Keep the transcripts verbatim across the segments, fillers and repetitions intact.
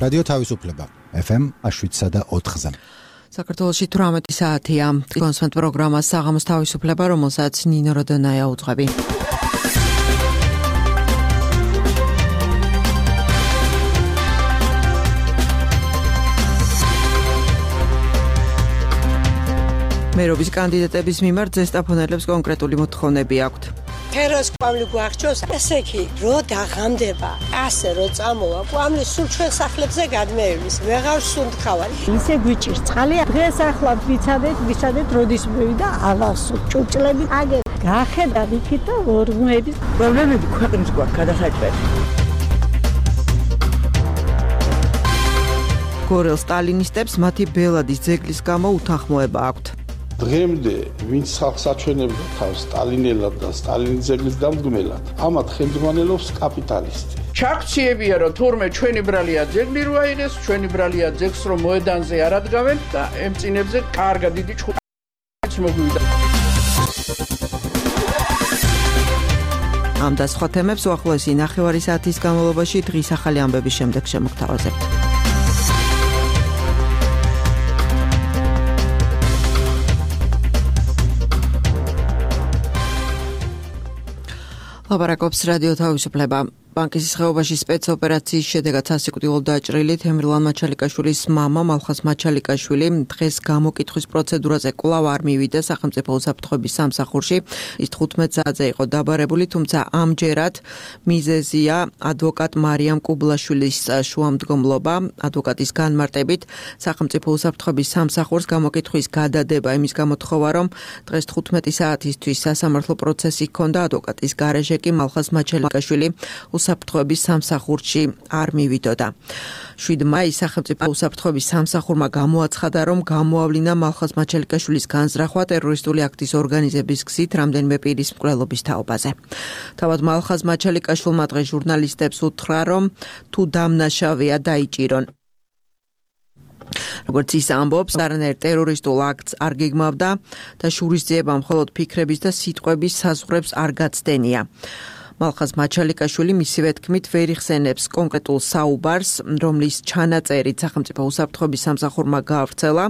რადიო თავისუფლება ეფ ემ შვიდსა და ოთხზე. საქართველოში თვრამეტი საათია. კონსვენტ პროგრამა საღამოს თავისუფლება, რომელსაც ნინო როდონაია უძღვები. მერობის კანდიდატების მიმართ ზესტაფონელებს კონკრეტული მოთხოვნები აქვთ. ფეროს კვამლი გვახჭოს, ესე კი, რო დაღამდება, ასე რო წამოვა, კვამლი სულ ჩვენ სახლებზე გადმეივლის, ვეღარ სუნთქავარ. ისე გვიჭირს წყალი, დღეს ახლა ვიცადეთ, ვიცადეთ, როდის მივიდა, ალასო, ჭურჭლები, აგერ გახედა იქით და ორმოების პრობლემები ქვეყნის გვაქვს გადასაჭრელი. გორელ სტალინისტებს მათი ბელადის ძეგლის გამო უთანხმოება აქვთ. დღემდე ვინც ხალხს აჩვენებდა თავს სტალინელად და სტალინის ძეგლის დამდგმელად, ამათ ხელმძღვანელობს კაპიტალისტი. ჩაქციებია რომ თურმე ჩვენი ბრალია ძეგლი რო აიღეს, ჩვენი ბრალია ძეგლს რომ მოედანზე არ ადგავენ და ემწინებზე კარგა დიდი ჩხუბიც მოგვიდა. ამ და სხვა თემებს უახლოესი ნახევარი საათის განმავლობაში დღის ახალი ამბების შემდეგ შემოგთავაზებთ. ლაპარაკობს რადიო თავისუფლება. ბანკის ხეობაში სპეცოპერაციის შედეგად სასიკვდილო დაჭრილი თემრლან მაჩალიკაშვილის მამა მალხაზ მაჩალიკაშვილი დღეს გამოკითხვის პროცედურაზე კვლავ არ მივიდა სახელმწიფო უსაფრთხოების სამსახურში. ის თხუთმეტ საათზე იყო დაბარებული, თუმცა ამჯერად მიზეზია ადვოკატ მარიამ კუბლაშვილის შუამდგომლობა. ადვოკატის განმარტებით სახელმწიფო უსაფრთხოების სამსახურს გამოკითხვის გადადება იმის გამოთხოვა, რომ დღეს თხუთმეტი საათისთვის სასამართლო პროცესი ჰქონდა, ადვოკატის გარეშე კი მალხაზ მაჩალიკაშვილი უსაფრთხოების სამსახურში არ მივიდოდა. შვიდ მაისს სახელმწიფო უსაფრთხოების სამსახურმა გამოაცხადა, რომ გამოავლინა მალხაზ მაჩალიკაშვილის განზრახვა ტერორისტული აქტის ორგანიზების გზით რამდენიმე პირის მკვლელობის თაობაზე. თავად მალხაზ მაჩალიკაშვილმა დღეს ჟურნალისტებს უთხრა, რომ თუ დამნაშავეა დაიჭირონ. როგორც ის ამბობს, არანაირ ტერორისტულ აქტს არ გეგმავდა და შურისძიება მხოლოდ ფიქრების და სიტყვების საზღვრებს არ გაცდენია. მალხაზ მაჩალიკაშვილი მისივე თქმით ვერ იხსენებს კონკრეტულ საუბარს, რომლის ჩანაწერით სახელმწიფო უსაფრთხოების სამსახურმა გაავრცელა,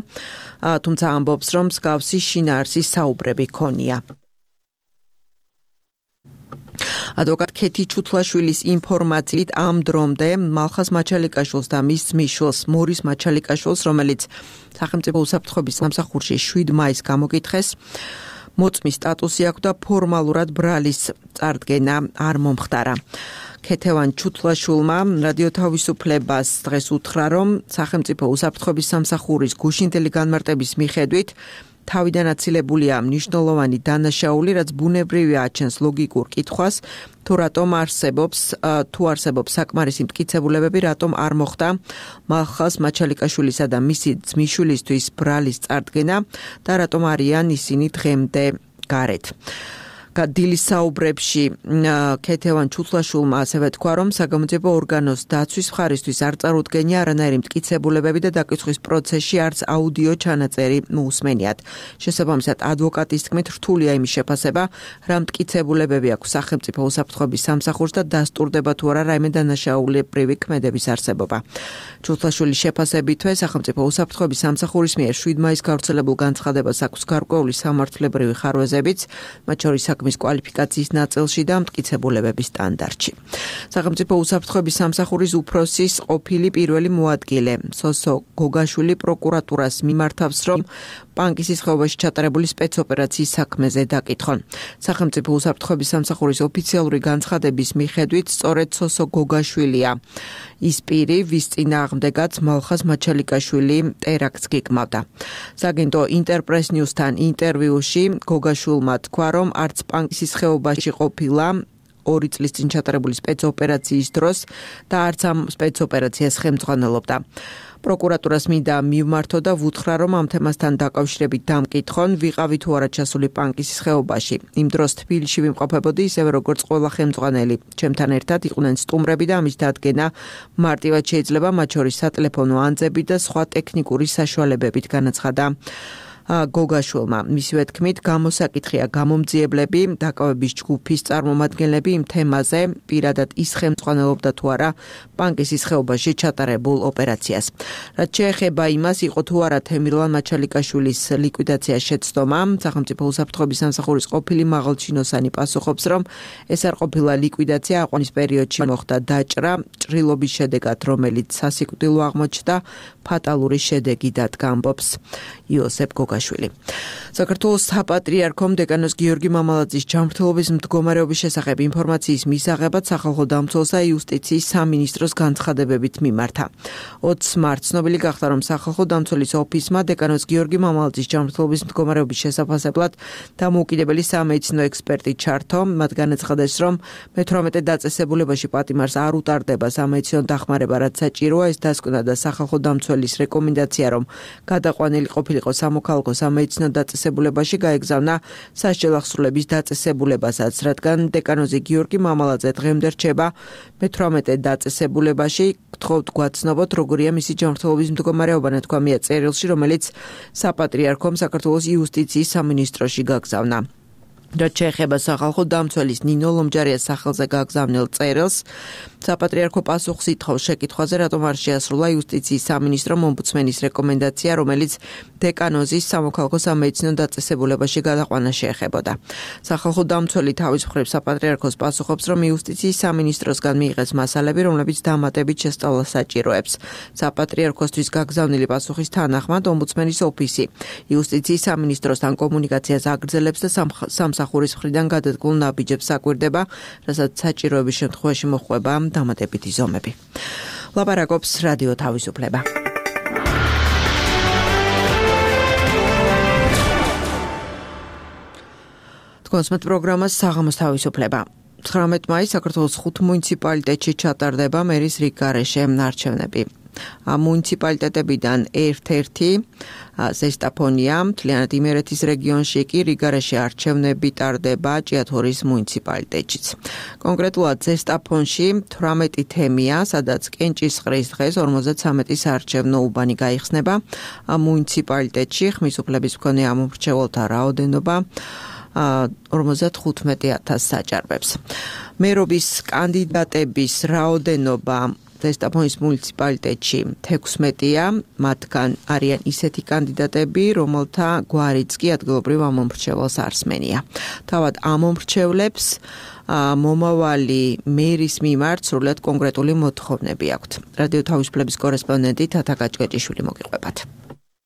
თუმცა ამბობს, რომ მსგავსი შინაარსის საუბრები ჰქონია. ადვოკატ ქეთი ჩუთლაშვილის ინფორმაციით ამ დრომდე მალხაზ მაჩალიკაშვილს და მის ძმისშვილს მორის მაჩალიკაშვილს, რომელიც სახელმწიფო უსაფრთხოების სამსახურში შვიდ მაისს გამოკითხეს, მოწმის სტატუსი აქვს და ფორმალურად ბრალის წარდგენა არ მომხდარა. ქეთევან ჩუთლაშვილმა რადიო თავისუფლებას დღეს უთხრა, რომ სახელმწიფო უსაფრთხოების სამსახურის გუშინდელი განმარტების მიხედვით თავიდან აცილებულია მნიშვნელოვანი დანაშაული, რაც ბუნებრივია აჩენს ლოგიკურ კითხვას, თუ რატომ არსებობს თუ არსებობს საკმარისი მტკიცებულებები, რატომ არ მოხდა მალხაზ მაჩალიკაშვილისა და მისი ძმისშვილისთვის ბრალის წარდგენა და რატომ არიან ისინი დღემდე გარეთ. დილის საუბრებში ქეთევან ჩუთლაშვილმა ასევე თქვა, რომ საგამოძიებო ორგანოს დაცვის მხარისთვის არ წარუდგენია არანაირი მტკიცებულებები და დაკითხვის პროცესში არც აუდიო ჩანაწერი მოусმენიათ. შესაბამისად, ადვოკატის თქმით, რთულია იმის შეფასება, რა მტკიცებულებები აქვს სახელმწიფო უსაფრთხოების სამსახურს და დასტურდება თუ არა რაიმე დანაშაულებრივი ქმედების არსებობა. ჩუთლაშვილის შეფასებითვე სახელმწიფო უსაფრთხოების სამსახურის მიერ შვიდ მაისს გავრცელებულ განცხადებას აქვს გარკვეული სამართლებრივი ხარვეზებიც, მათ შორის საქმის კვალიფიკაციის ნაწილში და მტკიცებულებების სტანდარტში. სახელმწიფო უსაფრთხოების სამსახურის უფროსის ყოფილი პირველი მოადგილე სოსო გოგაშვილი პროკურატურას მიმართავს, რომ პანკისის ხეობაში ჩატარებული სპეცოპერაციის საქმეზე დაკითხონ. სახელმწიფო უსაფრთხოების სამსახურის ოფიციალური განცხადების მიხედვით, სწორედ სოსო გოგაშვილია ის პირი, ვის წინააღმდეგაც მალხაზ მაჩალიკაშვილი ტერაქტს გეგმავდა. სააგენტო ინტერპრეს ნიუსთან ინტერვიუში გოგაშვილმა თქვა, რომ არც პანკისის ხეობაში ყოფილა ორი წლის წინ ჩატარებული სპეცოპერაციის დროს და არც ამ სპეცოპერაციას ხელმძღვანელობდა. პროკურატურას მინდა მივმართო და ვუთხრა, რომ ამ თემასთან დაკავშირებით დამკითხონ, ვიყავი თუ არა ჩასული პანკისის ხეობაში. იმ დროს თბილისში ვიმყოფებოდი, ისევე როგორც ყველა ხელმძღვანელი. ჩემთან ერთად იყვნენ სტუმრები და ამის დადგენა მარტივად შეიძლება, მათ შორის სატელეფონო ანძები და სხვა ტექნიკური საშუალებებით, განაცხადა გოგაშვილმა. მისივე თქმით, გამოსაკითხია გამომძიებლები, დაკავების ჯგუფის წარმომადგენლები იმ თემაზე პირადად ის ხელმძღვანელობდა თუ არა ბანკის ის ხეობაში ჩატარებულ ოპერაციას. რაც შეეხება იმას, იყო თუ არა თემირლან მაჩალიკაშვილის ლიკვიდაცია შეცდომა, სახელმწიფო უსაფრთხოების სამსახურის ყოფილი მაღალჩინოსანი პასუხობს, რომ ეს არ ყოფილა ლიკვიდაცია, აყვანის პერიოდში მოხდა დაჭრა, ჭრილობის შედეგად, რომელიც სასიკვდილო აღმოჩნდა, ფატალური შედეგი დადგა, ამბობს იოსებ გოგაშვილი. საქართველოს საპატრიარქომ დეკანოს გიორგი მამალაძის ჯანმრთელობის მდგომარეობის შესახებ ინფორმაციის მისაღებად სახალხო დამცველსა იუსტიციის სამინისტროს განცხადებებით მიმართა. ოცს მარტს ცნობილი გახდა, რომ სახალხო დამცველის ოფისმა დეკანოს გიორგი მამალაძის ჯანმრთელობის მდგომარეობის შესაფასებლად დამოუკიდებელი სამედიცინო ექსპერტი ჩართო. მათ განაცხადეს, რომ მეთვრამეტე დაწესებულებაში პატიმარს არ უტარდება სამედიცინო დახმარება, რაც საჭიროა. ეს დასკვნა და სახალხო დამცველის რეკომენდაცია, რომ გადაყვანილი ყოფილიყო სამოქალაქო სამედიცინო დაწესებულებაში, გაეგზავნა სასჯელ აღსრულების დაწესებულებასაც, რადგან დეკანოზი გიორგი მამალაძე დღემდე რჩება მეთვრამეტე დაწესებულებაში. გთხოვთ გვაცნობოთ, როგორია მისი ჯანმრთელობის მდგომარეობა, ნათქვამია წერილში, რომელიც საპატრიარქომ საქართველოს იუსტიციის სამინისტროში გაგზავნა. რაც შეეხება სახალხო დამცველის ნინო ლომჯარიას სახელზე გაგზავნილ წერილს, საპატრიარქო პასუხს ითხოვს შეკითხვაზე, რატომ არ შეასრულა იუსტიციის სამინისტრომ ომბუდსმენის რეკომენდაცია, რომელიც დეკანოზის სამოქალაქო სამედიცინო დაწესებულებაში გადაყვანა შეეხებოდა. სახალხო დამცველი თავის მხრივ საპატრიარქოს პასუხობს, რომ იუსტიციის სამინისტროსგან მიიღეს მასალები, რომლებიც დამატებით შესწავლას საჭიროებს. საპატრიარქოსთვის გაგზავნილი პასუხის თანახმად ომბუდსმენის ოფისი იუსტიციის სამინისტროსთან კომუნიკაციას აგრძელებს და სამსახურის მხრიდან გადადგმულ ნაბიჯებს საკვირდება, რასაც საჭიროების შემთხვევაში მოჰყვება დამატებითი ზომები. ლაპარაკობს რადიო თავისუფლება. კონსმეთ პროგრამას საღამოს თავისუფლება. ცხრამეტ მაისს საქართველოს ხუთ მუნიციპალიტეტში ჩატარდება მერის რიგგარეშე არჩევნები. მუნიციპალიტეტებიდან ერთ-ერთი ზესტაფონია, მთლიანად იმერეთის რეგიონში კი რიგგარეშე არჩევნები ტარდება ჭიათურის მუნიციპალიტეტშიც. კონკრეტულად ზესტაფონში თვრამეტი თემია, სადაც კენჭისყრის დღეს ორმოცდათვრამეტი საარჩევნო უბანი გაიხსნება. მუნიციპალიტეტში ხმის უფლების მქონე ამომრჩეველთა რაოდენობა ორმოცდახუთმეტი ათასს საჭარბებს. მერობის კანდიდატების რაოდენობა ზესტაფონის მუნიციპალიტეტში თექვსმეტია, მათგან არიან ისეთი კანდიდატები, რომელთა გვარიც კი ადგილობრივ ამომრჩეველს არ სმენია. თავად ამომრჩევლებს მომავალი მერის მიმართ სრულად კონკრეტული მოთხოვნები აქვთ. რადიო თავისუფლების კორესპონდენტი თათა გაჭკეჭიშვილი მოგიყვებათ.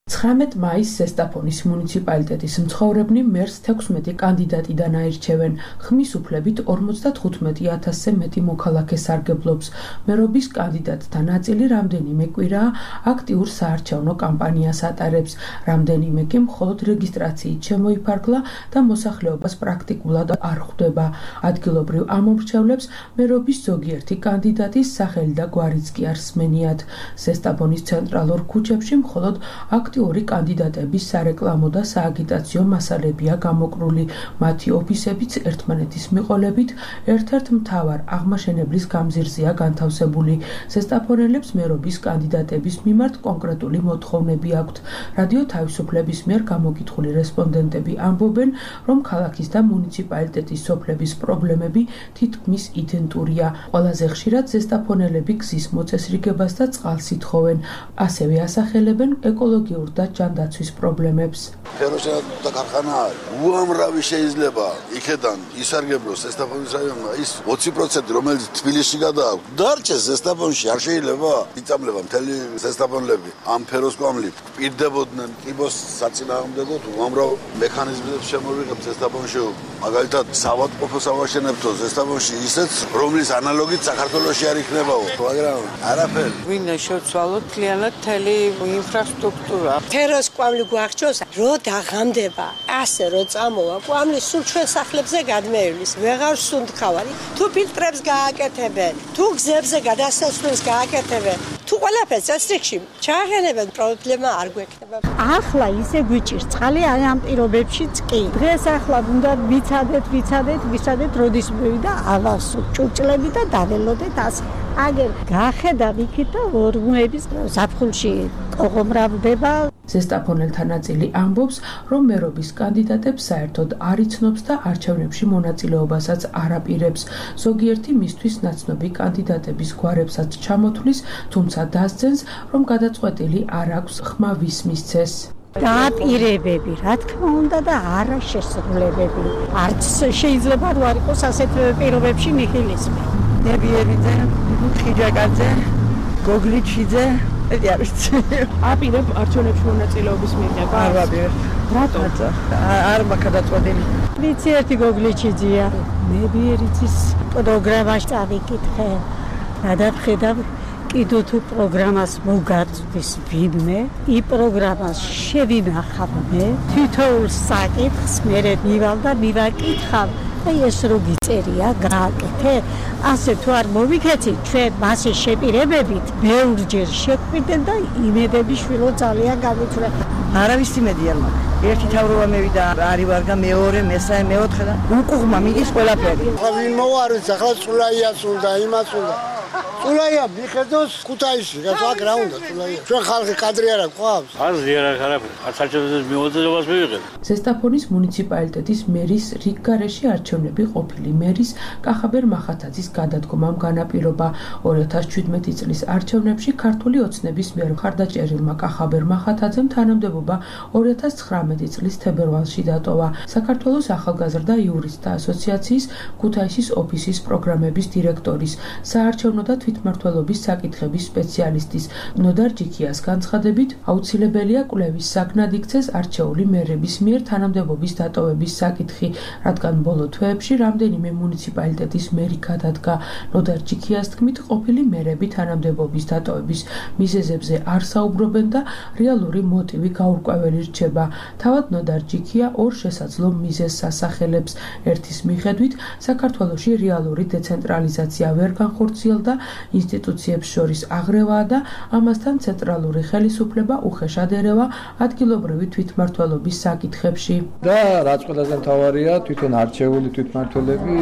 ცხრამეტ მაისს ზესტაფონის მუნიციპალიტეტის მცხოვრებნი მერს თექვსმეტი კანდიდატიდან აირჩევენ. ხმის უფლებით ორმოცდახუთმეტი ათასზე მეტი მოქალაქე სარგებლობს. მერობის კანდიდატთა ნაწილი რამდენიმე კვირაა აქტიურ საარჩევნო კამპანიას ატარებს. რამდენიმე კი მხოლოდ რეგისტრაციით შემოიფარგლა და მოსახლეობას პრაქტიკულად არ ხვდება. ადგილობრივ ამომრჩევლებს მერობის ზოგიერთი კანდიდატის სახელი და გვარიც კი არ სმენიათ. ზესტაფონის ცენტრალურ ქუჩებში მხოლოდ აქტიური კანდიდატების სარეკლამო და სააგიტაციო მასალებია გამოკრული. მათი ოფისებიც ერთმანეთის მიყოლებით ერთ-ერთ მთავარ აღმაშენებლის გამზირზეა განთავსებული. ზესტაფონელებს მერობის კანდიდატების მიმართ კონკრეტული მოთხოვნები აქვთ. რადიო თავისუფლების მიერ გამოკითხული რესპონდენტები ამბობენ, რომ ქალაქის და მუნიციპალიტეტის სოფლების პრობლემები თითქმის იდენტურია. ყველაზე ხშირად ზესტაფონელები გზის მოწესრიგებას და წყალს ითხოვენ. ასევე ასახელებენ ეკოლოგიურ და ჯანდაცვის პრობლემებს. ფეროშენატა ქარხანაა. უამრავი შეიძლება იქედან ისარგებლოს ზესტაფონის რაიონმა ის ოცი პროცენტი, რომელიც თბილისში გადააქვს. დარჩეს ზესტაფონში არ შეიძლება იწამლება მთელი ზესტაფონლები. ამ ფეროსკვამლი პირდებოდნენ კიბოს საწინააღმდეგოდ უამრავ მექანიზმებს შემოვიღებთ ზესტაფონში. მაგალითად, საავადმყოფო სავაშენებთო ზესტაფონში ისეც, რომლის ანალოგით საქართველოში არ იქნებაო. მაგრამ არაფერი. ვინ შევცვალოთ მთლიანად მთელი ინფრასტრუქტურა. თეროს კვამლი გვახჩოს, რო დაღამდება, ასე რო წამოვა, კვამლი სულ ჩვენ სახლებზე გადმეივლის, ვეღარ სუნთქავარი. თუ ფილტრებს გააკეთებენ, თუ გზებზე გადასასვლელს გააკეთებენ, თუ ყველაფერს წესრიგში ჩააღენებენ, პრობლემა არ გვექნება. ახლა ისე გვიჭირს წყალი ამ პირობებშიც კი. დღეს ახლა უნდა ვიცადეთ, ვიცადეთ, ვიცადეთ, როდის მივიდა ალასო, ჭურჭლები და დაველოდეთ ასე. აგერ გახედავ იქით და ორმოების საფხულში ყოღომრავდება. ზესტაფონელთა ნაწილი ამბობს, რომ მერობის კანდიდატებს საერთოდ არ იცნობს და არჩევნებში მონაწილეობასაც არ აპირებს. ზოგიერთი მისთვის ნაცნობი კანდიდატების გვარებსაც ჩამოთვლის, თუმცა დასძენს, რომ გადაწყვეტილი არ აქვს ხმა ვის მისცეს. დაპირებები, რა თქმა უნდა და არა შესრულებები. არც შეიძლება არ იყოს ასეთ პირობებში ნიჰილიზმი. ნებიერიძე, ხიჯაკაძე, გოგლიჩიძე, ეს არის. აპირებ არჩევნებში მონაწილეობის მიღება? არ ვაპირებ. რატო? არ მაქვს გადაწყვეტილი. ვიცი ერთი გოგლიჩიძეა. ნებიერიძის პროგრამაში წავიკითხე. გადავხედავ კიდო თუ პროგრამას მოგაწვდის ვინმე, ი პროგრამას შევინახავ მე, თითოეულ საკითხს მე მივალ და მივაკითხავ. აი ეს რო გიწერია, გააკეთე, ასე თუ არ მოვიქეცით, ჩვენ მასე შეპირებებით ბევრჯერ შეგვიდნენ და იმედები შვილო ძალიან გამიწვია. არავის იმედი არ მაქვს. ერთი თავრობა მევიდა, არი ვარგა მეორე, მესამე, მეოთხე და უკუღმა მიდის ყველაფერი. ვინ მოარის ახლა სულაიას უნდა, იმას უნდა. სულაია მიხედოს ქუთაისში, რა აქ რა უნდა სულაია. ჩვენ ხალხი კადრი არ აქვს. არ ზიარა არაფერი. არც არჩევნების მიუძლებელობას მივიღეთ. ზესტაფონის მუნიციპალიტეტის მერის რიგგარეში არჩევნები ყოფილი მერის კახაბერ მახათაძის გადადგომამ განაპირობა. ორი ათას შვიდმეტი წლის არჩევნებში ქართული ოცნების მიერ მხარდაჭერილმა კახაბერ მახათაძემ თანამდებობა ორი ათას ცხრამეტი წლის თებერვალში დატოვა. საქართველოს ახალგაზრდა იურისტთა ასოციაციის ქუთაისის ოფისის პროგრამების დირექტორის, საარჩევნო და თვითმმართველობის საკითხების სპეციალისტის ნოდარ ჯიქიას განცხადებით, აუცილებელია კვლევის საგნად იქცეს არჩეული მერების მიერ თანამდებობის დატოვების საკითხი, რადგან ბოლო თვეებში რამდენიმე მუნიციპალიტეტის მერი გადადგა. ნოდარ ჯიქიას თქმით, ყოფილი მერები თანამდებობის დატოვების მიზეზებზე არ საუბრობენ და რეალური მოტივი გაურკვეველი რჩება. თავად ნოდარ ჯიქია ორ შესაძლო მიზეზს ასახელებს. ერთის მიხედვით, საქართველოში რეალური დეცენტრალიზაცია ვერ განხორციელდა, ინსტიტუციებს შორის აღრევაა და ამასთან ცენტრალური ხელისუფლება უხეშად ერევა ადგილობრივი თვითმმართველობის საკითხებში. და რაც ყველაზე მთავარია, თვითონ არჩეული თვითმმართველები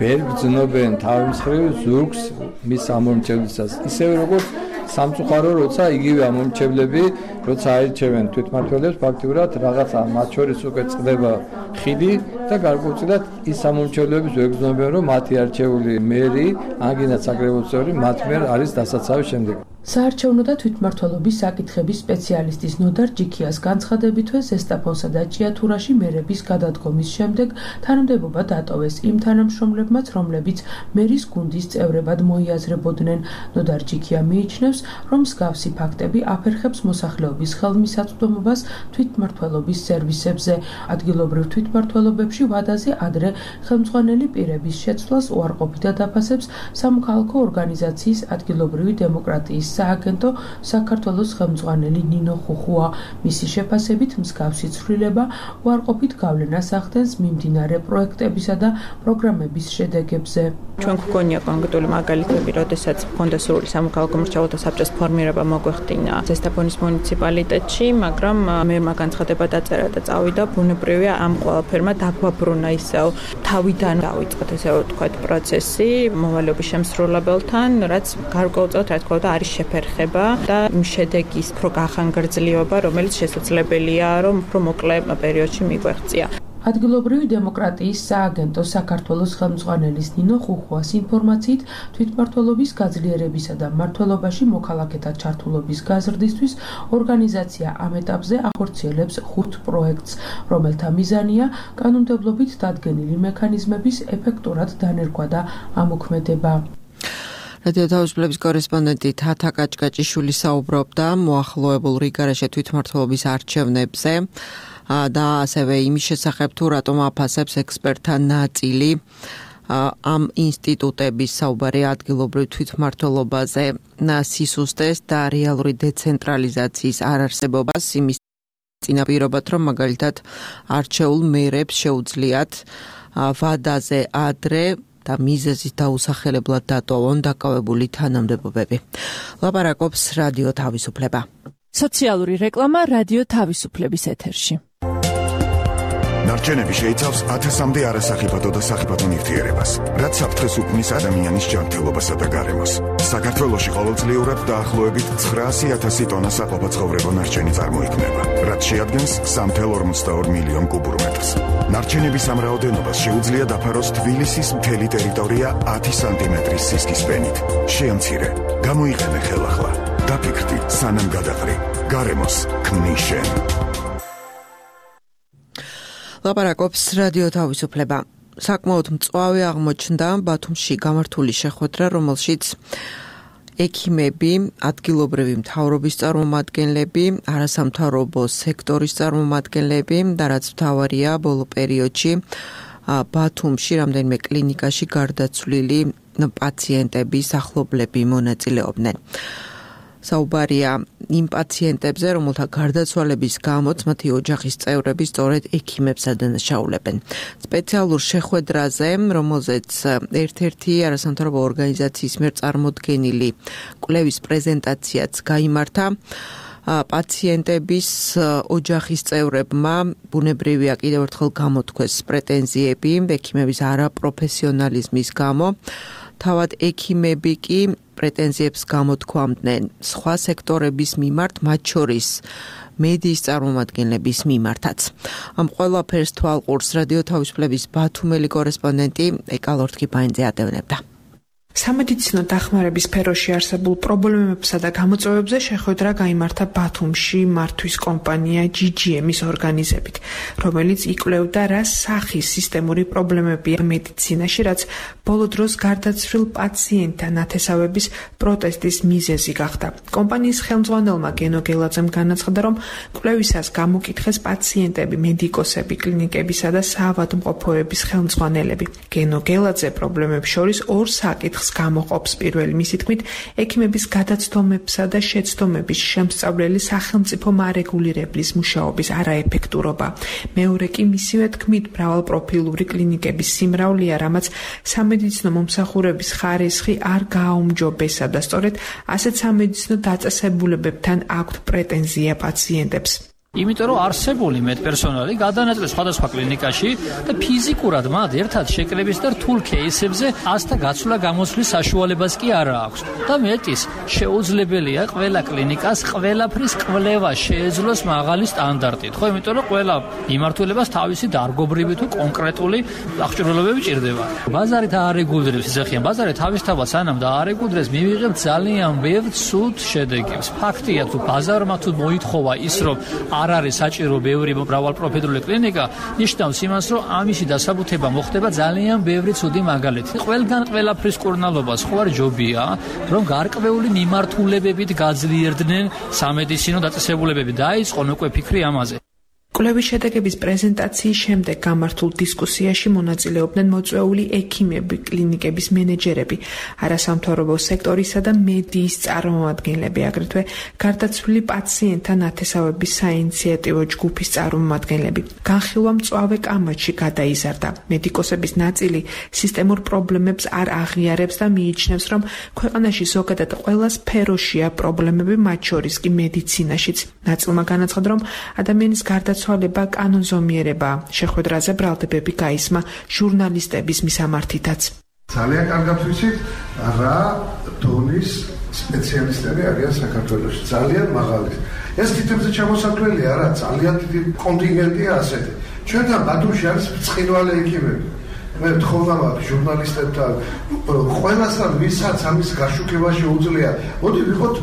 ვერ ბრძნობენ თავის მხრივ ზურგს მის ამომრჩევლისას. ისევე როგორც სამწუხარო, როცა იგივე ამომრჩევლები, როცა აირჩევენ თვითმმართველებს, ფაქტიურად რაღაცა მათ შორის უკვე წდება ხიდი და გარკვეულწილად ის ამომრჩევლები ვერ ბრძნობენ, რომ მათი არჩეული მერი, ანგინაც საკრებულო წევრი მათ მიერ არის დასაცავი შემდეგ. საარჩევნო და თვითმმართველობის საკითხების სპეციალისტის ნოდარ ჯიქიას განცხადებითვე ზესტაფონსა და ჭიათურაში მერების გადადგომის შემდეგ თანამდებობა დატოვეს იმ თანამშრომლებმაც, რომლებიც მერის გუნდის წევრებად მოიაზრებოდნენ. ნოდარ ჯიქია მიიჩნევს, რომ მსგავსი ფაქტები აფერხებს მოსახლეობის ხელმისაწვდომობას თვითმმართველობის სერვისებზე. ადგილობრივ თვითმმართველობებში ვადაზე ადრე ხელმძღვანელი პირების შეცვლას უარყოფითად აფასებს სამოქალაქო ორგანიზაციის ადგილობრივი დემოკრატიის სააგენტო საქართველოს ხელმძღვანელი ნინო ხუხუა. მისი შეფასებით მსგავსი ცვლილება უარყოფით გავლენას ახდენს მიმდინარე პროექტებისა და პროგრამების შედეგებზე. ჩვენ გვგონია კონკრეტული მაგალითები, როდესაც ჰქონდა სრული სამოქალაქო მრჩეველთა საბჭოს ფორმირება მოგვეხდინა ზესტაფონის მუნიციპალიტეტში, მაგრამ მერმა განცხადება დაწერა და წავიდა. ბუნებრივია ამ ყველაფერმა დაგვაბრუნა ისევ თავიდან დავიწყოთ ესე ვთქვათ პროცესი მოვალეობის შემსრულებელთან, რაც გარკვეულწილად რა თქმა უნდა არის შეფერხება და შედეგის უფრო გახანგრძლივობა, რომელიც შესაძლებელია, რომ უფრო მოკლე პერიოდში მიგვეღწია. ადგილობრივი დემოკრატიის სააგენტო საქართველოს ხელმძღვანელის ნინო ხუხუას ინფორმაციით, თვითმმართველობის გაძლიერებისა და მმართველობაში მოქალაქეთა ჩართულობის გაზრდისთვის ორგანიზაცია ამ ეტაპზე ახორციელებს ხუთ პროექტს, რომელთა მიზანია კანონმდებლობით დადგენილი მექანიზმების ეფექტურად დანერგვა და ამოქმედება. რადიო თავისუფლების კორესპონდენტი თათა კაჭკაჭიშვილი საუბრობდა მოახლოებულ რიგგარეშე თვითმმართველობის არჩევნებზე და ასევე იმის შესახებ, თუ რატომ აფასებს ექსპერტთა ნაწილი ამ ინსტიტუტების საუბარი ადგილობრივ თვითმმართველობაზე სისუსტეს და რეალური დეცენტრალიზაციის არარსებობას, იმის წინაპირობად, რომ მაგალითად არჩეულ მერებს შეუძლიათ ვადაზე ადრე და მიზეზის დაუსახელებლად დატოვონ დაკავებული თანამდებობები. ლაპარაკობს რადიო თავისუფლება. სოციალური რეკლამა რადიო თავისუფლების ეთერში. ნარჩენები შეიცავს ათასამდე არასახიფათო და სახიფათო ნივთიერებას, რაც საფრთხეს უქმნის ადამიანის ჯანმრთელობასა და გარემოს. საქართველოში ყოველწლიურად დაახლოებით ცხრაასი ათასი ტონა საყოფაცხოვრებო ნარჩენი წარმოიქმნება, რაც შეადგენს სამი წუთი ორმოცდაორ მილიონ კუბურ მეტრს. ნარჩენების ამ რაოდენობას შეუძლია დაფაროს თბილისის მთელი ტერიტორია ათი სანტიმეტრის სისქის ფენით. შეამცირე, გამოიყენე ხელახლა. დაფიქრდი, სანამ გადაყრი. გარემოს ქმნის შენ. ლაპარაკობს რადიო თავისუფლება. საკმაოდ მწვავე აღმოჩნდა ბათუმში გამართული შეხვედრა, რომელშიც ექიმები, ადგილობრივი მთავრობის წარმომადგენლები, არასამთავრობო სექტორის წარმომადგენლები და რაც მთავარია ბოლო პერიოდში ბათუმში რამდენიმე კლინიკაში გარდაცვლილი პაციენტების ახლობლები მონაწილეობდნენ. საუბარია იმ პაციენტებზე, რომელთა გარდაცვალების გამოც მათი ოჯახის წევრები სწორედ ექიმებს ადანაშაულებენ. სპეციალურ შეხვედრაზე, რომელზეც ერთ-ერთი არასამთავრობო ორგანიზაციის მიერ წარმოდგენილი კვლევის პრეზენტაციაც გაიმართა, პაციენტების ოჯახის წევრებმა ბუნებრივია კიდევ ერთხელ გამოთქვეს პრეტენზიები ექიმების არაპროფესიონალიზმის გამო. თავად ექიმები კი პრეტენზიებს გამოთქვამდნენ სხვა სექტორების მიმართ, მათ შორის მედიის წარმომადგენლების მიმართაც. ამ ყველაფერს თვალყურს რადიო თავისუფლების ბათუმელი კორესპონდენტი ეკალორთკი ბაინძე ადევნებდა. სამედიცინო დახმარების სფეროში არსებულ პრობლემებსა და გამოწვევებზე შეხვედრა გაიმართა ბათუმში მართვის კომპანია ჯი ჯი ემის ორგანიზებით, რომელიც იკვლევდა რა სახის სისტემური პრობლემებია მედიცინაში, რაც ბოლო დროს გარდაცვლილ პაციენტთა ნათესავების პროტესტის მიზეზი გახდა. კომპანიის ხელმძღვანელმა გენო გელაძემ განაცხადა, რომ კვლევისას გამოკითხეს პაციენტები, მედიკოსები, კლინიკებისა და საავადმყოფოების ხელმძღვანელები. გენო გელაძე პრობლემებს შორის ორ საკითხს გამოყოფს. პირველი მისი თქმით, ექიმების გადაცდომებსა და შეცდომების შემსწავლელი სახელმწიფო მარეგულირებლის მუშაობის არაეფექტურობა. მეორე კი მისივე თქმით, მრავალპროფილური კლინიკების სიმრავლეა, რამაც სამედიცინო მომსახურების ხარისხი არ გააუმჯობესა და სწორედ ასეთ სამედიცინო დაწესებულებებთან აქვთ პრეტენზია პაციენტებს. იმიტომ რომ არსებული მედპერსონალი გადანაწილეს სხვადასხვა კლინიკაში და ფიზიკურად მათ ერთად შეკრების და რთულ кейსებზე ასთა გაცვლა გამოსვლის საშუალებას კი არ აქვს. და მეტის, შეუძლებელია ყველა კლინიკას ყველაფრის კვლევა შეეძლოს მაღალი სტანდარტით. ხო, იმიტომ რომ ყველა მიმართულებას თავისი დარგობრივი თუ კონკრეტული აღჭურვილობები ჭირდება. ბაზარით აარეგულირებს ისეხიან, ბაზარი თავისთავად სანამ დაარეგულირებს, მივიღებ ძალიან ბევრ ცუდ შედეგებს. ფაქტია, თუ ბაზარმა თუ მოითხოვა ის, რომ არ არის საჭირო ბევრი მრავალპროფილური კლინიკა, ნიშნავს იმას, რომ ამისი დასაბუთება მოხდება ძალიან ბევრი ცუდი მაგალითი. ყველგან ყველაფრის კურნალობას ხო არ ჯობია, რომ გარკვეული მიმართულებებით გაძლიერდნენ სამედიცინო დაწესებულებები. დაიწყონ უკვე ფიქრი ამაზე. კვლევის შედეგების პრეზენტაციის შემდეგ გამართულ დისკუსიაში მონაწილეობდნენ მოწვეული ექიმები, კლინიკების მენეჯერები, არასამთავრობო სექტორისა და მედიის წარმომადგენლები, აგრეთვე გარდაცვლილი პაციენტთა ნათესავების საინიციატივო ჯგუფის წარმომადგენლები. განხილვა მწვავე კამათში გადაიზარდა. მედიკოსების ნაწილი სისტემურ პრობლემებს არ აღიარებს და მიიჩნევს, რომ ქვეყანაში ზოგადად ყველა სფეროშია პრობლემები, მათ შორის კი მედიცინაშიც. ნაწილმა განაცხადა, რომ ადამიანის გარდაცვალება კანონზომიერება. შეხვედრაზე ბრალდებები გაისმა ჟურნალისტების მისამართითაც. ძალიან კარგად ვიცით, რა დონის სპეციალისტები არიან საქართველოში. ძალიან მაღალი. ეს თითებზე ჩამოსაქმელია რა, ძალიან დიდი კონტინგენტია ასეთი. ჩვენთან ბათუმში არის ბრწყინვალე ექიმები. მე ვთხოვნა მაგ ჟურნალისტებთან, ყველასთან ვისაც ამის გაშუქება შეუძლია, მოდი ვიყოთ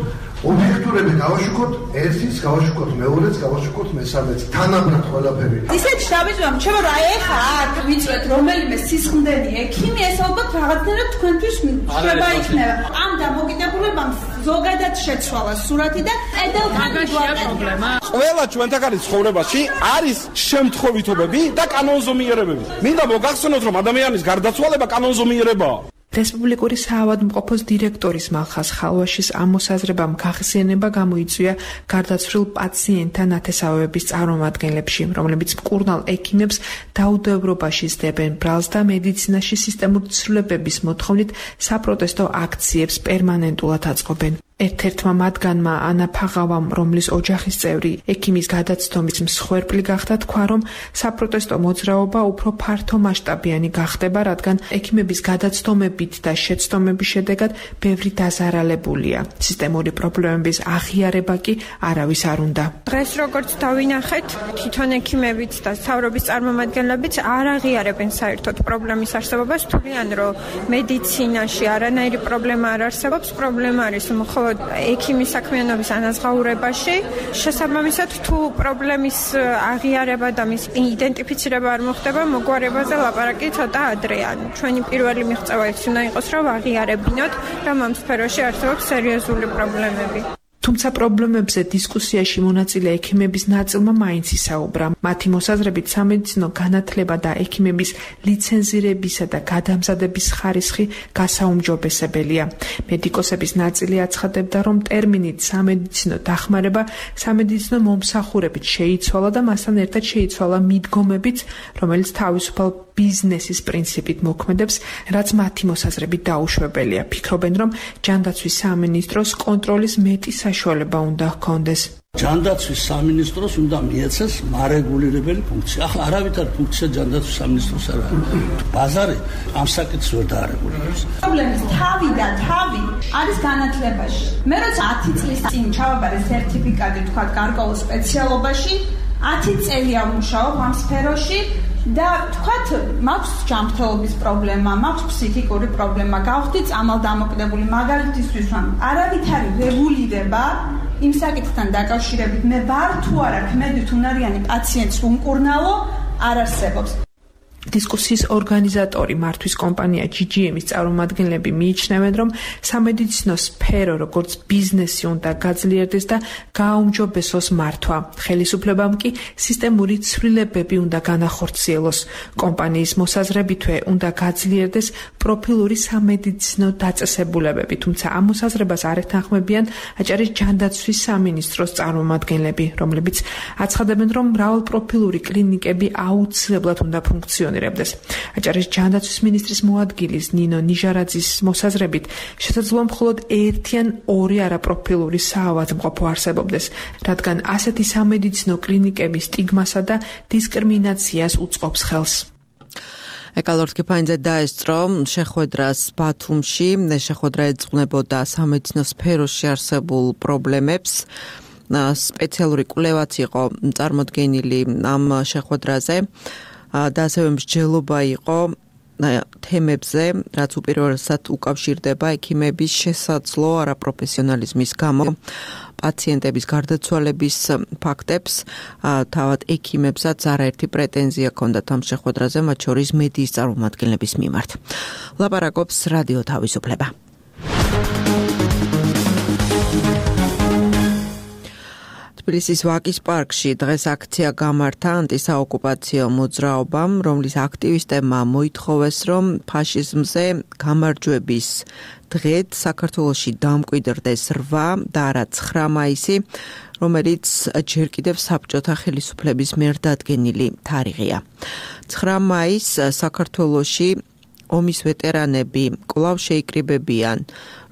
ობიექტურები, გავაშუქოთ ერთის, გავაშუქოთ მეორეც, გავაშუქოთ მესამეც, თანაბრად ყველაფერი. ისეთ შაბიჯამ, ჩემო რა ეხა აქ ვიწვეთ რომელიმე სისხლდენი ექიმი, ეს ალბათ რაღაცნაირად თქვენთვის შება იქნება. ამ დამოკიდებულებამ ზოგადად შეცვალა სურათი და ედელქანი პრობლემა. ყველა ჩვენთაგანი ცხოვრებაში არის შემთხვევითობები და კანონზომიერებები. მინდა მოგახსენოთ, რომ ადამიანის გარდაცვალება კანონზომიერებაა. რესპუბლიკური საავადმყოფოს დირექტორის მალხაზ ხალვაშის ამ მოსაზრებამ გახსენება გამოიწვია გარდაცვლილ პაციენტთა ნათესავების წარმომადგენლებში, რომლებიც მკურნალ ექიმებს დაუდევრობაში სდებენ ბრალს და მედიცინაში სისტემური ცვლილებების მოთხოვნით საპროტესტო აქციებს პერმანენტულად აწყობენ. ერთ-ერთმა მათგანმა ანა ფაღავამ, რომლის ოჯახის წევრი ექიმის გადაცდომის მსხვერპლი გახდა, თქვა, რომ საპროტესტო მოძრაობა უფრო ფართო მასშტაბიანი გახდება, რადგან ექიმების გადაცდომებით და შეცდომების შედეგად ბევრი დაზარალებულია. სისტემური პრობლემების აღიარება კი არავის არ უნდა. დღეს როგორც დავინახეთ, თვითონ ექიმებიც და მთავრობის წარმომადგენლებიც არ აღიარებენ საერთოდ პრობლემის არსებობას, თვლიან, რომ მედიცინაში არანაირი პრობლემა არ არსებობს, პრობლემა არის მხოლოდ ექიმის საქმიანობის ანაზღაურებაში. შესაბამისად, თუ პრობლემის აღიარება და მის იდენტიფიცირება არ მოხდება, მოგვარებაზე ლაპარაკი ცოტა ადრეა. ჩვენი პირველი მიღწევა ის უნდა იყოს, რომ აღიარებინოთ, რომ ამ სფეროში არსებობს სერიოზული პრობლემები. თუმცა პრობლემებზე დისკუსიაში მონაწილე ექიმების ნაწილმა მაინც ისაუბრა. მათი მოსაზრებით სამედიცინო განათლება და ექიმების ლიცენზირებისა და გადამზადების ხარისხი გასაუმჯობესებელია. მედიკოსების ნაწილი აცხადებდა, რომ ტერმინით სამედიცინო დახმარება სამედიცინო მომსახურებით შეიცვალა და მასთან ერთად შეიცვალა მიდგომებიც, რომელიც თავისუფალ ბიზნესის პრინციპით მოქმედებს, რაც მათი მოსაზრებით დაუშვებელია. ფიქრობენ, რომ ჯანდაცვის სამინისტროს კონტროლის მეტი საშუალება უნდა ჰქონდეს. ჯანდაცვის სამინისტროს უნდა მიეცეს მარეგულირებელი ფუნქცია. ახლა არავითარ ფუნქცია ჯანდაცვის სამინისტროს არ არის. ბაზარი ამ საკითხს ვერ დაარეგულირებს. პრობლემის თავი და თავი არის განათლებაში. მე როცა ათი წლის წინ ჩავაბარე სერტიფიკატი, თქვა გარკვეულ სპეციალობაში, ათი წელია ვმუშაობ ამ სფეროში. და თქვათ, მაქვს ჯანმრთელობის პრობლემა, მაქვს ფსიქიკური პრობლემა, გავხდი წამალდამოკიდებული, მაგალითისთვის ვამ, არავითარი რეგულირება იმ საკითხთან დაკავშირებით, მე ვარ თუ არა ქმედით უნარიანი პაციენტს უმკურნალო, არ არსებობს. დისკუსიის ორგანიზატორი მართვის კომპანია ჯი ჯი ემის წარმომადგენლები მიიჩნევენ, რომ სამედიცინო სფერო როგორც ბიზნესი უნდა გაძლიერდეს და გააუმჯობესოს მართვა. ხელისუფლებამ კი სისტემური ცვლილებები უნდა განახორციელოს. კომპანიის მოსაზრებითვე უნდა გაძლიერდეს პროფილური სამედიცინო დაწესებულებები, თუმცა ამ მოსაზრებას არ ეთანხმებიან აჭარის ჯანდაცვის სამინისტროს წარმომადგენლები, რომლებიც აცხადებენ, რომ მრავალპროფილური კლინიკები აუცილებლად უნდა ფუნქციონირდეს. აჭარის ჯანდაცვის მინისტრის მოადგილის ნინო ნიჟარაძის მოსაზრებით შესაძლოა მხოლოდ ერთი ან ორი არაპროფილური საავადმყოფო არსებობდეს, რადგან ასეთი სამედიცინო კლინიკები სტიგმასა და დისკრიმინაციას უწყობს ხელს. ეკალორთკი ფაინზე დაესწრო შეხვედრას ბათუმში, შეხვედრა ეძღვნებოდა სამედიცინო სფეროში არსებულ პრობლემებს. სპეციალური კვლევაც იყო წარმოდგენილი ამ შეხვედრაზე. და ასევე მსჯელობა იყო თემებზე, რაც უპირველესად უკავშირდება ექიმების შესაძლო არაპროფესიონალიზმის გამო პაციენტების გარდაცვალების ფაქტებს. თავად ექიმებსაც არაერთი პრეტენზია ჰქონდათ ამ შეხვედრაზე, მათ შორის მედიის წარმომადგენლების მიმართ. ლაპარაკობს რადიო თავისუფლება. თბილისის ვაკის პარკში დღეს აქცია გამართა ანტისაოკუპაციო მოძრაობამ, რომლის აქტივისტებმა მოითხოვეს, რომ ფაშიზმზე გამარჯვების დღედ საქართველოში დამკვიდრდეს რვა და არა ცხრა მაისი, რომელიც ჯერ კიდევ საბჭოთა ხელისუფლების მიერ დადგენილი თარიღია. ცხრა მაისს საქართველოში ომის ვეტერანები კვლავ შეიკრიბებიან,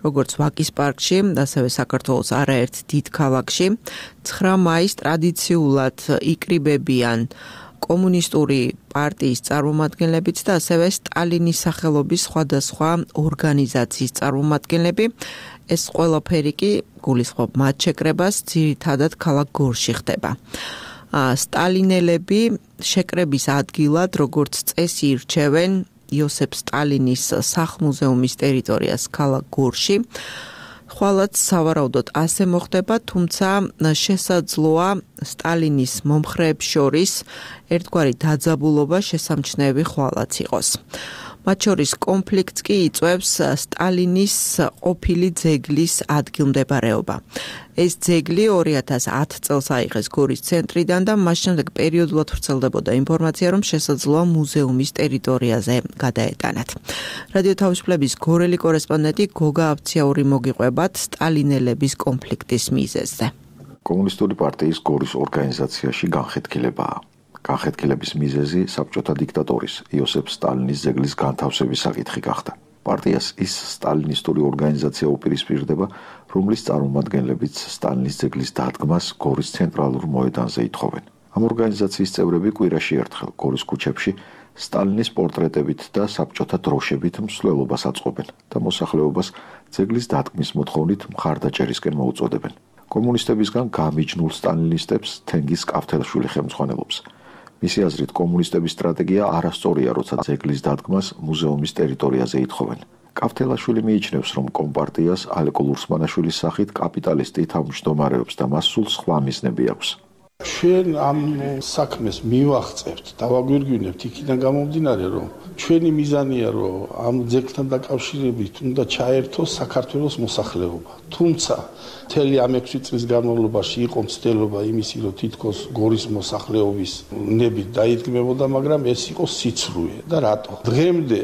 როგორც ვაკის პარკში, ასევე საქართველოს არაერთ დიდ ქალაქში. ცხრა მაისს ტრადიციულად იკრიბებიან კომუნისტური პარტიის წარმომადგენლებიც და ასევე სტალინის სახელობის სხვადასხვა ორგანიზაციის წარმომადგენლები. ეს ყველაფერი კი გულისხმობ მათ შეკრებას ძირითადად ქალაქ გორში ხდება. სტალინელები შეკრების ადგილად, როგორც წესი ირჩევენ იოსებ სტალინის სახლ-მუზეუმის ტერიტორიას ქალაქ გორში. ხვალაც სავარაუდოდ ასე მოხდება, თუმცა შესაძლოა სტალინის მომხრეებს შორის ერთგვარი დაძაბულობა შესამჩნევი ხვალაც იყოს. მათ შორის კონფლიქტს კი იწვევს სტალინის ყოფილი ძეგლის ადგილმდებარეობა. ეს ძეგლი ორი ათას ათი წელს აიღეს გორის ცენტრიდან და მას შემდეგ პერიოდულად ვრცელდებოდა ინფორმაცია, რომ შესაძლოა მუზეუმის ტერიტორიაზე გადაეტანათ. რადიო თავისუფლების გორელი კორესპონდენტი გოგა აბციაური მოგიყვებათ სტალინელების კონფლიქტის მიზეზზე. კომუნისტური პარტიის გორის ორგანიზაციაში განხეთქილებაა. განხეთქილების მიზეზი საბჭოთა დიქტატორის იოსებ სტალინის ძეგლის განთავსების საკითხი გახდა. პარტიას ის სტალინისტური ორგანიზაცია უპირისპირდება, რომლის წარმომადგენლებიც სტალინის ძეგლის დადგმას გორის ცენტრალურ მოედანზე ითხოვენ. ამ ორგანიზაციის წევრები კვირაში ერთხელ გორის ქუჩებში სტალინის პორტრეტებით და საბჭოთა დროშებით მსვლელობას აწყობენ და მოსახლეობას ძეგლის დადგმის მოთხოვნით მხარდაჭერისკენ მოუწოდებენ. კომუნისტებისგან გამიჯნულ სტალინისტებს თენგიზ კავთელაშვილი ხელმძღვანელობს. მისი აზრით, კომუნისტების სტრატეგია არასწორია, როცა ძეგლის დადგმას მუზეუმის ტერიტორიაზე ითხოვენ. კავთელაშვილი მიიჩნევს, რომ კომპარტიას ალეკო ლურსმანაშვილის სახით კაპიტალისტი თავმჯდომარეობს და მას სულ სხვა მიზნები აქვს. ჩვენ ამ საქმეს მივახწევთ, დავაგვირგვინებთ იქიდან გამომდინარე, რომ ჩვენი მიზანია, რომ ამ ძეგლთან დაკავშირებით უნდა ჩაერთოს საქართველოს მოსახლეობა. თუმცა მთელი ამ ექვსი წლის განმავლობაში იყო მცდელობა იმისი, რომ თითქოს გორის მოსახლეობის ნებით დაიდგმებოდა, მაგრამ ეს იყო სიცრუე და რატო? დღემდე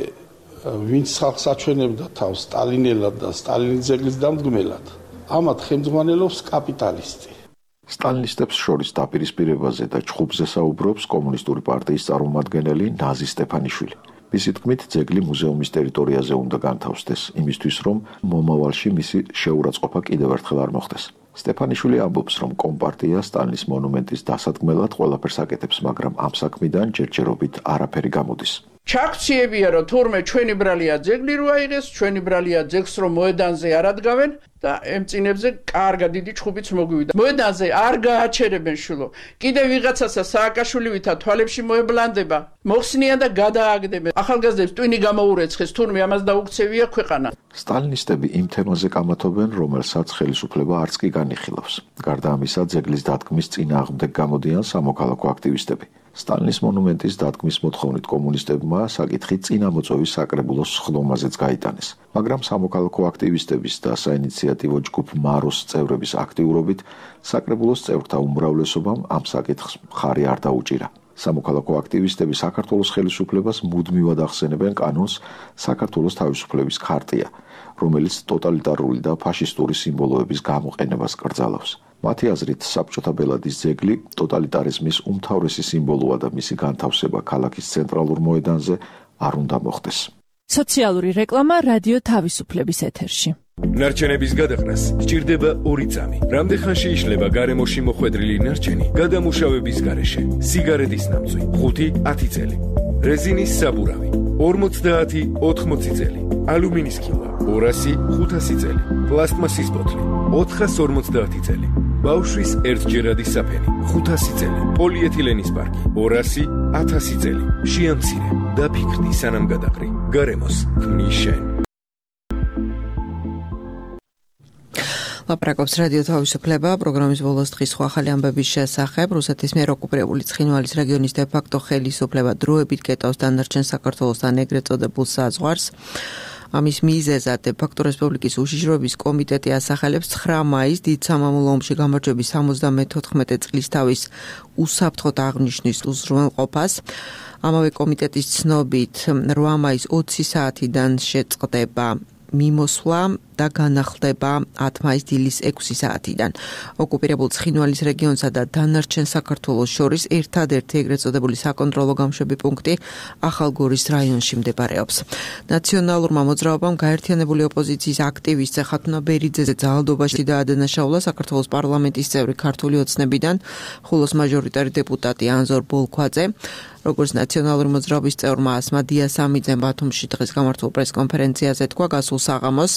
ვინც ხალხს აჩვენებდა თავს სტალინელად და სტალინის ძეგლის დამდგმელად, ამათ ხელმძღვანელობს კაპიტალისტი. სტალინისტებს შორის დაპირისპირებაზე და ჩხუბზე საუბრობს კომუნისტური პარტიის წარმომადგენელი ნაზი სტეფანიშვილი. მისი თქმით, ძეგლი მუზეუმის ტერიტორიაზე უნდა განთავსდეს, იმისთვის, რომ მომავალში მისი შეურაცხყოფა კიდევ ერთხელ არ მოხდეს. სტეფანიშვილი ამბობს, რომ კომპარტია სტალინის მონუმენტის დასადგმელად ყველაფერს აკეთებს, მაგრამ ამ საქმიდან ჯერჯერობით არაფერი გამოდის. ჩაქციებია, რომ თურმე ჩვენი ბრალია ძეგლი რო აიღეს, ჩვენი ბრალია ძეგლს რომ მოედანზე არ ადგავენ და ემწინებზე კარგად დიდი ჩხუბიც მოგვივიდა. მოედანზე არ გააჩერებენ შულო. კიდე ვიღაცასა სააკაშვილივითა თვალებში მოებლანდება, მოხსნიან და გადააგდებენ. ახალგაზრდებს ტვინი გამოურეცხეს, თურმე ამას დაუქცევია ქვეყანა. სტალინისტები იმ თემაზე კამათობენ, რომელსაც ხელისუფლება არც კი განიხილავს. გარდა ამისა, ძეგლის დადგმის წინააღმდეგ გამოდიან სამოქალაქო აქტივისტები. სტალინის მონუმენტის დადგმის მოთხოვნით კომუნისტებმა საკითხი წინამოწვევის საკრებულოს ხლომაზეც გაიტანეს, მაგრამ სამოქალაქო აქტივისტების და საინიციატივო ჯგუფ მაროს წევრების აქტიურობით საკრებულოს წევრთა უმრავლესობამ ამ საკითხს მხარი არ დაუჭირა. სამოქალაქო აქტივისტები საქართველოს ხელისუფლებას მუდმივად ახსენებენ კანონს საქართველოს თავისუფლების ქარტია, რომელიც ტოტალიტარული და ფაშისტური სიმბოლოების გამოყენებას კრძალავს. მათი აზრით, საბჭოთა ბელადის ძეგლი ტოტალიტარიზმის უმთავრესი სიმბოლოა და მისი განთავსება ქალაქის ცენტრალურ მოედანზე არ უნდა მოხდეს. სოციალური რეკლამა რადიო თავისუფლების ეთერში. ნარჩენების გადაყრას სჭირდება ორი წამი. რამდენხანში იშლება გარემოში მოხვედრილი ნარჩენი გადამუშავების გარეშე? სიგარეტის ნამწვი ხუთი ათი წელი, რეზინის საბურავი ორმოცდაათი ოთხმოცი წელი, ალუმინის ქილა ორასი ხუთასი წელი, პლასტმასის ბოთლი ოთხას ორმოცდაათი წელი, ბავშვის ერთჯერადი საფენი ხუთასი წელი, პოლიეთილენის პარკი ორასი ათასი წელი. შეამცირე და ფიქრდი სანამ გადაყრი. გარემოს ქმნის შენ. ლაპარაკობს რადიო თავისუფლება, პროგრამის ბოლოს დღის სხვა ახალი ამბების შესახებ. რუსეთის მიერ ოკუპირებული ცხინვალის რეგიონის დე-ფაქტო ხელისუფლება დროებით გეტავს დანარჩენ საქართველოსთან ეგრეთ წოდებულ საზღვარს. ამის მიზეზად დე-ფაქტო რესპუბლიკის უშიშროების კომიტეტი ასახელებს ცხრა მაისს დიდ სამამულო ომში გამარჯვების სამოცდამეთოთხმეტე წლისთავის უსაფრთხოდ აღნიშნის უზრუნველყოფას. ამავე კომიტეტის ცნობით რვა მაისს ოცი საათიდან შეწყდება მიმოსვლა და განახლდება ათი მაისს დილის ექვსი საათიდან. ოკუპირებულ ცხინვალის რეგიონსა და დანარჩენ საქართველოს შორის ერთადერთი ეგრეთ წოდებული საკონტროლო გამშვები პუნქტი ახალგორის რაიონში მდებარეობს. ნაციონალურმა მოძრაობამ გაერთიანებული ოპოზიციის აქტივისტ ხათუნა ბერიძეზე ძალადობაში დაადანაშაულა საქართველოს პარლამენტის წევრი ქართული ოცნებიდან ხულოს მაჟორიტარი დეპუტატი ანზორ ბოლქვაძე. როგორც ნაციონალური მოძრაობის წევრმა ასმა დიასამიძემ ბათუმში დღეს გამართულ პრესკონფერენციაზე თქვა, გასულ საღამოს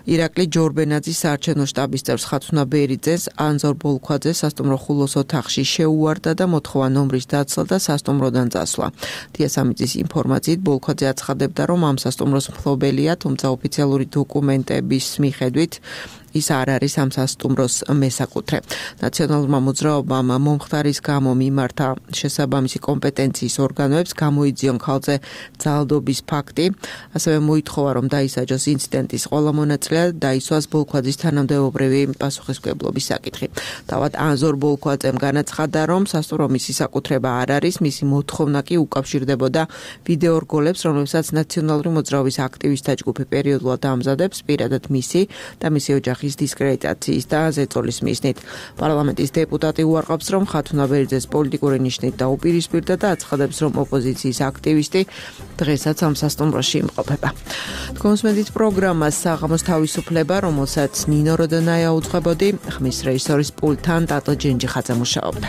ირაკლი ჯორბენაძის საარჩევნო შტაბის წევრს ხათუნა ბერიძეს ანზორ ბოლქვაძე სასტუმრო ხულოს ოთახში შეუვარდა და მოთხოვა ნომრის დაცლა და სასტუმროდან წასვლა. დიასამიძის ინფორმაციით ბოლქვაძე აცხადებდა, რომ ამ სასტუმროს მფლობელია, თუმცა ოფიციალური დოკუმენტების მიხედვით ის არ არის ამ სასტუმროს მესაკუთრე. ნაციონალურმა მოძრაობამ მომხდარის გამო მიმართა შესაბამისი კომპეტენციის ორგანოებს გამოიძიონ ქალზე ძალადობის ფაქტი, ასევე მოითხოვა, რომ დაისაჯოს ინციდენტის ყველა მონაწილე და დაისვას ბოლქვაძის თანამდებობრივი პასუხისმგებლობის საკითხი. თავად ანზორ ბოლქვაძემ განაცხადა, რომ სასტუმრო მისი საკუთრება არ არის, მისი მოთხოვნა კი უკავშირდებოდა ვიდეო რგოლებს, რომლებსაც ნაციონალური მოძრაობის აქტივისტთა ჯგუფი პერიოდულად ამზადებს, პირადად მისი და მისი ოჯახის ოჯახის დისკრედიტაციის და ზეწოლის მიზნით. პარლამენტის დეპუტატი უარყოფს, რომ ხათუნა ბერძეს პოლიტიკური ნიშნით დაუპირისპირდა და აცხადებს, რომ ოპოზიციის აქტივისტი დღესაც ამ სასტუმროში იმყოფება. კონსმედით პროგრამას საღამოს თავისუფლება, რომელსაც ნინო როდონაია უძღვებოდი, ხმის რეჟისორის პულტთან ტატო ჯენჯიხაძე მუშაობდა.